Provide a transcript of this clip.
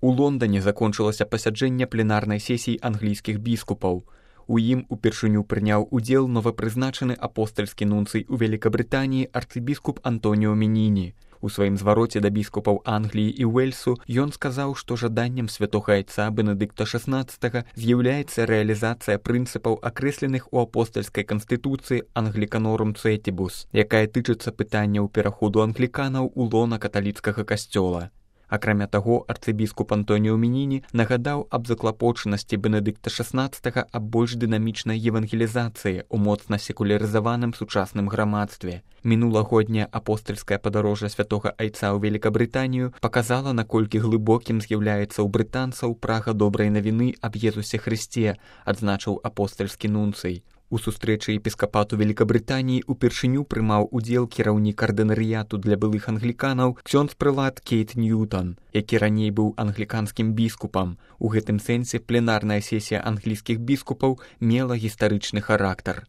У Лондане закончылася пасяджэнне пленарнай сесіі англійскіх біскупаў. У ім упершыню прыняў удзел новапрызначаны апостальскі нунцый у Великабрытаніі арцыбіскуп Антоніо Меніні. У сваім звароце да біскупаў Англіі і Уэльсу ён сказаў, што жаданнем святога айца Бенедыкта XVI з'яўляецца рэалізацыя прынцыпаў, акрэсленых у апостальскай канстытуцыі Англіканорум Цетибус, якая тычыцца пытанняў пераходу англіканаў у лона каталіцкага касцёла. Акрамя таго, арцыбіскуп Антоніо Меніні нагадаў аб заклапочанасці Бенедыкта XVI аб больш дынамічнай евангелізацыі ў моцна секулярызаваным сучасным грамадстве. Мінулагодняе апостальскае падарожжа святога айца ў Великабрытанію паказала, наколькі глыбокім з'яўляецца ў брытанцаў прага добрай навіны аб Езусе Хрысце, адзначыў апостальскі нунцый. У сустрэчы епіскапату Великабрытаніі упершыню прымаў удзел кіраўнік ардынарыяту для былых англіканаў ксёндз-прылад Кейт Ньютон, які раней быў англіканскім біскупам. У гэтым сэнсе пленарная сесія англійскіх біскупаў мела гістарычны характар.